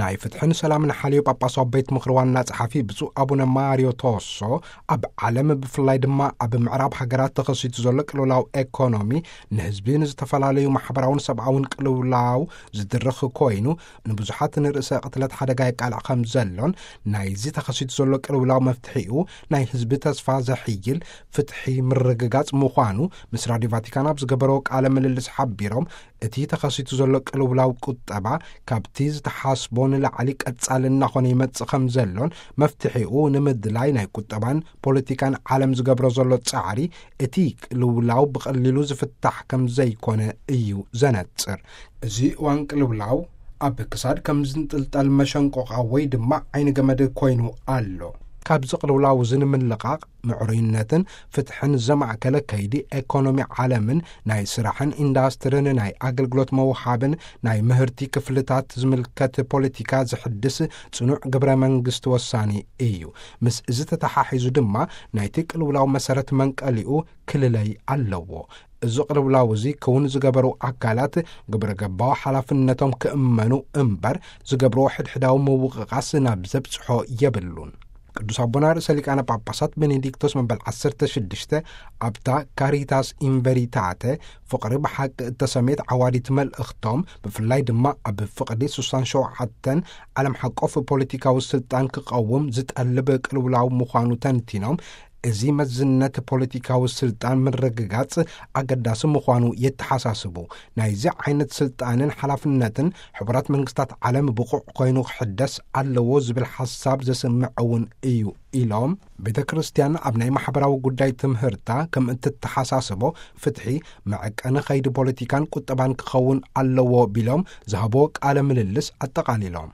ናይ ፍትሕን ሰላምን ሓልዮ ጳጳሳዊ ቤት ምኽሪ ዋና ጸሓፊ ብፁዕ ኣቡነ ማርዮ ቶሶ፣ ኣብ ዓለም ብፍላይ ድማ ኣብ ምዕራብ ሃገራት ተኸሲቱ ዘሎ ቅልውላው ኤኮኖሚ ንህዝቢ ንዝተፈላለዩ ማሕበራውን ሰብኣውን ቅልውላው ዝድርኽ ኮይኑ፣ ንብዙሓት ንርእሰ ቅትለት ሓደጋ የቃልዕ ከም ዘሎን፣ ናይዚ ተኸሲቱ ዘሎ ቅልውላው መፍትሒኡ ናይ ህዝቢ ተስፋ ዘሕይል ፍትሒ ምርግጋጽ ምዃኑ ምስ ራድዮ ቫቲካን ኣብ ዝገበረዎ ቃለ ምልልስ ሓቢሮም፣ እቲ ተኸሲቱ ዘሎ ቅልውላው ቁጠባ ካብቲ ዝተሓስቦ ንላዕሊ ቀጻሊ እናኾነ ይመጽእ ከም ዘሎን፣ መፍትሒኡ ንምድላይ ናይ ቁጠባን ፖለቲካን ዓለም ዝገብሮ ዘሎ ጻዕሪ እቲ ቅልውላው ብቐሊሉ ዝፍታሕ ከም ዘይኮነ እዩ ዘነጽር። እዚ እዋን ቅልውላው ኣብ ክሳድ ከም ዝንጥልጠል መሸንቆቓ ወይ ድማ ዓይኒ ገመድ ኮይኑ ኣሎ። ካብዚ ቅልውላው እዚ ንምልቓቕ፣ ምዕሩይነትን ፍትሕን ዘማእከለ ከይዲ ኤኮኖሚ ዓለምን ናይ ስራሕን ኢንዳስትርን ናይ ኣገልግሎት መውሃብን ናይ ምህርቲ ክፍልታት ዝምልከት ፖለቲካ ዝሕድስ ጽኑዕ ግብረ መንግስቲ ወሳኒ እዩ። ምስ እዚ ተተሓሒዙ ድማ ናይቲ ቅልውላው መሰረት መንቀሊኡ ክልለይ ኣለዎ። እዚ ቅልውላው እዚ ክውን ዝገበሩ ኣካላት ግብረ ገባዊ ሓላፍነቶም ክእመኑ እምበር፣ ዝገብርዎ ሕድሕዳዊ ምውቕቓስ ናብ ዘብጽሖ የብሉን። ቅዱስ ኣቦና ርእሰ ሊቃነ ጳጳሳት ቤኔዲክቶስ መበል ዓሰርተ ሽዱሽተ ኣብታ ካሪታስ ኢንቨሪታተ ፍቕሪ ብሓቂ እተሰምየት ዓዋዲት መልእኽቶም፣ ብፍላይ ድማ ኣብ ፍቕዲ ሱሳን ሸውዓተን ዓለም ሓቆፍ ፖለቲካዊ ስልጣን ክቐውም ዝጠልብ ቅልውላው ምዃኑ ተንቲኖም፣ እዚ መዝነት ፖለቲካዊ ስልጣን ምርግጋጽ ኣገዳሲ ምዃኑ የተሓሳስቡ። ናይዚ ዓይነት ስልጣንን ሓላፍነትን ሕቡራት መንግስታት ዓለም ብቑዕ ኮይኑ ክሕደስ ኣለዎ ዝብል ሓሳብ ዘስምዕ እውን እዩ ኢሎም፣ ቤተ ክርስቲያን ኣብ ናይ ማሕበራዊ ጉዳይ ትምህርታ ከም እትተሓሳስቦ፣ ፍትሒ መዐቀኒ ኸይዲ ፖለቲካን ቁጠባን ክኸውን ኣለዎ ቢሎም ዝሃብዎ ቃለ ምልልስ ኣጠቓሊሎም።